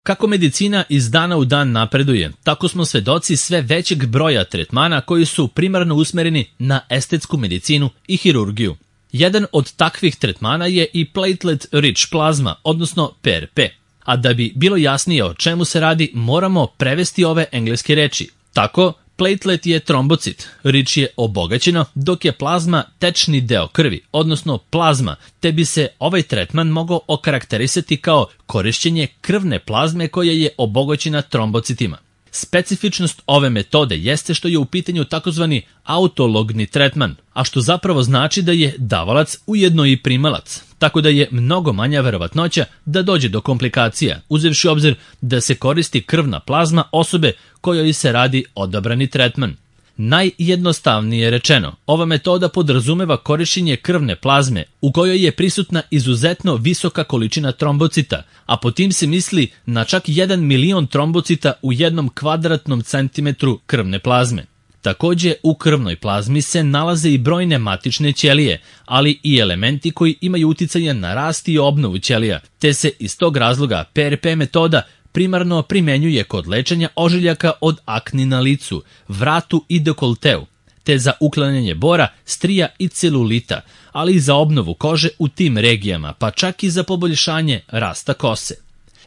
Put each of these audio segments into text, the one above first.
Kako medicina iz dana u dan napreduje, tako smo svedoci sve većeg broja tretmana koji su primarno usmereni na estetsku medicinu i hirurgiju. Jedan od takvih tretmana je i platelet rich plazma, odnosno PRP. A da bi bilo jasnije o čemu se radi, moramo prevesti ove engleske reči. Tako, platelet je trombocit, rich je obogaćeno, dok je plazma tečni deo krvi, odnosno plazma, te bi se ovaj tretman mogao okarakterisati kao korišćenje krvne plazme koja je obogaćena trombocitima. Specifičnost ove metode jeste što je u pitanju takozvani autologni tretman, a što zapravo znači da je davalac ujedno i primalac, tako da je mnogo manja verovatnoća da dođe do komplikacija, uzevši obzir da se koristi krvna plazma osobe kojoj se radi odabrani tretman. Najjednostavnije rečeno, ova metoda podrazumeva korišćenje krvne plazme u kojoj je prisutna izuzetno visoka količina trombocita, a po tim se misli na čak 1 milion trombocita u 1 kvadratnom centimetru krvne plazme. Takođe, u krvnoj plazmi se nalaze i brojne matične ćelije, ali i elementi koji imaju uticaja na rast i obnovu ćelija, te se iz tog razloga PRP metoda primarno primenjuje kod lečenja ožiljaka od akni na licu, vratu i dekolteu, te za uklanjanje bora, strija i celulita, ali i za obnovu kože u tim regijama, pa čak i za poboljšanje rasta kose.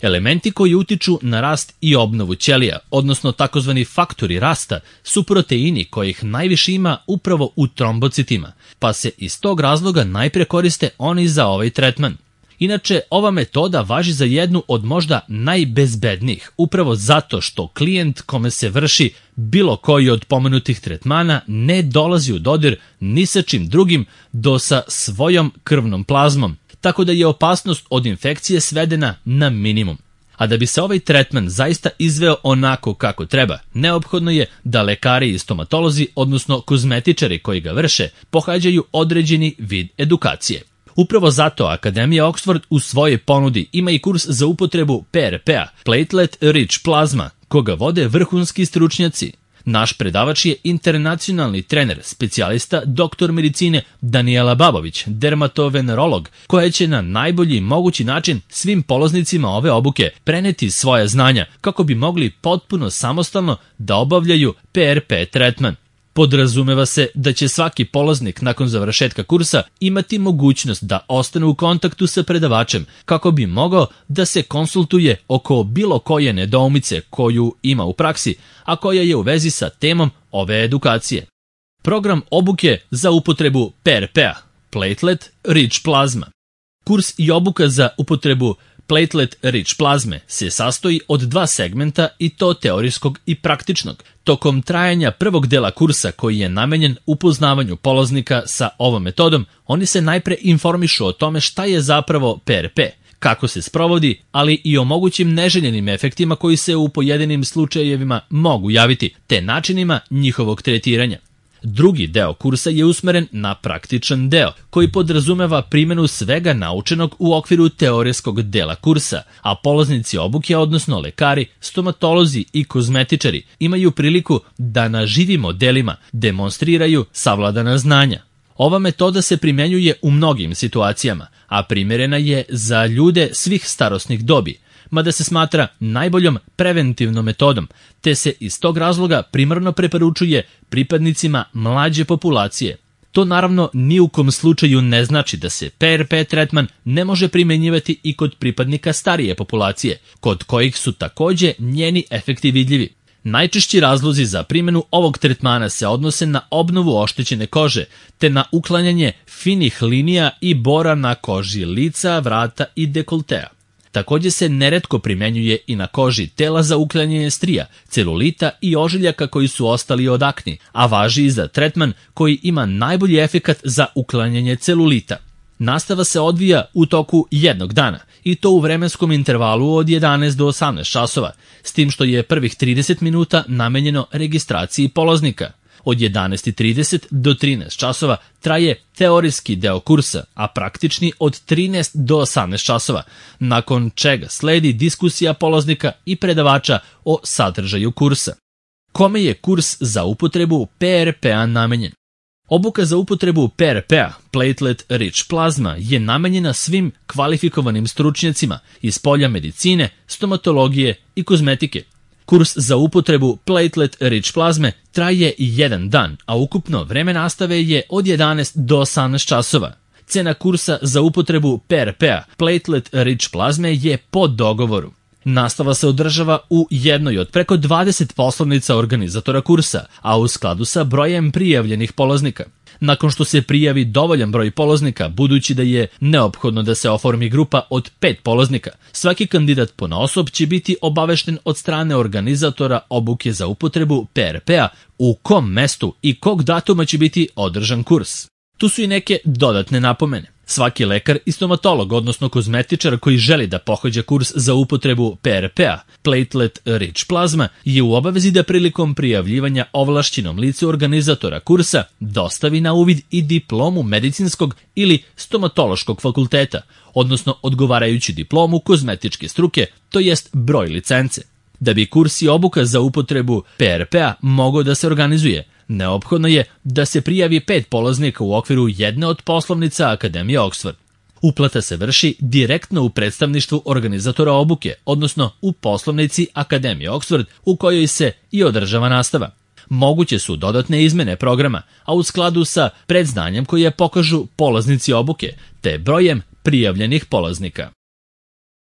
Elementi koji utiču na rast i obnovu ćelija, odnosno takozvani faktori rasta, su proteini kojih najviše ima upravo u trombocitima, pa se iz tog razloga najpre koriste oni za ovaj tretman. Inače, ova metoda važi za jednu od možda najbezbednijih, upravo zato što klijent kome se vrši bilo koji od pomenutih tretmana ne dolazi u dodir ni sa čim drugim do sa svojom krvnom plazmom, tako da je opasnost od infekcije svedena na minimum. A da bi se ovaj tretman zaista izveo onako kako treba, neophodno je da lekari i stomatolozi, odnosno kozmetičari koji ga vrše, pohađaju određeni vid edukacije. Upravo zato Akademija Oxford u svojoj ponudi ima i kurs za upotrebu PRP-a, platelet rich plazma, koga vode vrhunski stručnjaci. Naš predavač je internacionalni trener, specijalista, doktor medicine Danijela Babović, dermatovenerolog, koja će na najbolji mogući način svim polaznicima ove obuke preneti svoje znanja kako bi mogli potpuno samostalno da obavljaju PRP tretman. Podrazumeva se da će svaki polaznik nakon završetka kursa imati mogućnost da ostane u kontaktu sa predavačem kako bi mogao da se konsultuje oko bilo koje nedoumice koju ima u praksi, a koja je u vezi sa temom ove edukacije. Program obuke za upotrebu PRP-a, platelet rich plazma. Kurs i obuka za upotrebu platelet rich plazme se sastoji od 2 segmenta i to teorijskog i praktičnog. Tokom trajanja prvog dela kursa koji je namenjen upoznavanju polaznika sa ovom metodom, oni se najpre informišu o tome šta je zapravo PRP, kako se sprovodi, ali i o mogućim neželjenim efektima koji se u pojedinim slučajevima mogu javiti, te načinima njihovog tretiranja. Drugi deo kursa je usmeren na praktičan deo, koji podrazumeva primjenu svega naučenog u okviru teorijskog dela kursa, a polaznici obuke, odnosno lekari, stomatolozi i kozmetičari, imaju priliku da na živim modelima demonstriraju savladana znanja. Ova metoda se primenjuje u mnogim situacijama, a primjerena je za ljude svih starosnih dobi, mada se smatra najboljom preventivnom metodom, te se iz tog razloga primarno preporučuje pripadnicima mlađe populacije. To naravno ni u kom slučaju ne znači da se PRP tretman ne može primenjivati i kod pripadnika starije populacije, kod kojih su takođe njeni efekti vidljivi. Najčešći razlozi za primjenu ovog tretmana se odnose na obnovu oštećene kože, te na uklanjanje finih linija i bora na koži lica, vrata i dekoltea. Takođe se neretko primenjuje i na koži tela za uklanjanje strija, celulita i ožiljaka koji su ostali od akni, a važi i za tretman koji ima najbolji efekat za uklanjanje celulita. Nastava se odvija u toku jednog dana i to u vremenskom intervalu od 11 do 18 časova, s tim što je prvih 30 minuta namenjeno registraciji polaznika. Od 11:30 do 13 časova traje teorijski deo kursa, a praktični od 13 do 18 časova, nakon čega sledi diskusija polaznika i predavača o sadržaju kursa. Kome je kurs za upotrebu PRP-a namenjen? Obuka za upotrebu PRP-a, Platelet Rich Plasma, je namenjena svim kvalifikovanim stručnjacima iz polja medicine, stomatologije i kozmetike. Kurs za upotrebu Platelet Rich plazme traje 1 dan, a ukupno vreme nastave je od 11 do 18 časova. Cena kursa za upotrebu PRP-a, Platelet Rich plazme, je po dogovoru. Nastava se održava u jednoj od preko 20 poslovnica organizatora kursa, a u skladu sa brojem prijavljenih polaznika. Nakon što se prijavi dovoljan broj polaznika, budući da je neophodno da se oformi grupa od 5 polaznika, svaki kandidat ponaosob će biti obavešten od strane organizatora obuke za upotrebu PRP-a u kom mestu i kog datuma će biti održan kurs. Tu su i neke dodatne napomene. Svaki lekar i stomatolog, odnosno kozmetičar koji želi da pohađa kurs za upotrebu PRP-a, Platelet Rich Plasma, je u obavezi da prilikom prijavljivanja ovlašćenom licu organizatora kursa dostavi na uvid i diplomu medicinskog ili stomatološkog fakulteta, odnosno odgovarajuću diplomu kozmetičke struke, to jest broj licence. Da bi kurs i obuka za upotrebu PRP-a mogao da se organizuje, neophodno je da se prijavi 5 polaznika u okviru jedne od poslovnica Akademije Oxford. Uplata se vrši direktno u predstavništvu organizatora obuke, odnosno u poslovnici Akademije Oxford u kojoj se i održava nastava. Moguće su dodatne izmene programa, a u skladu sa predznanjem koje pokažu polaznici obuke, te brojem prijavljenih polaznika.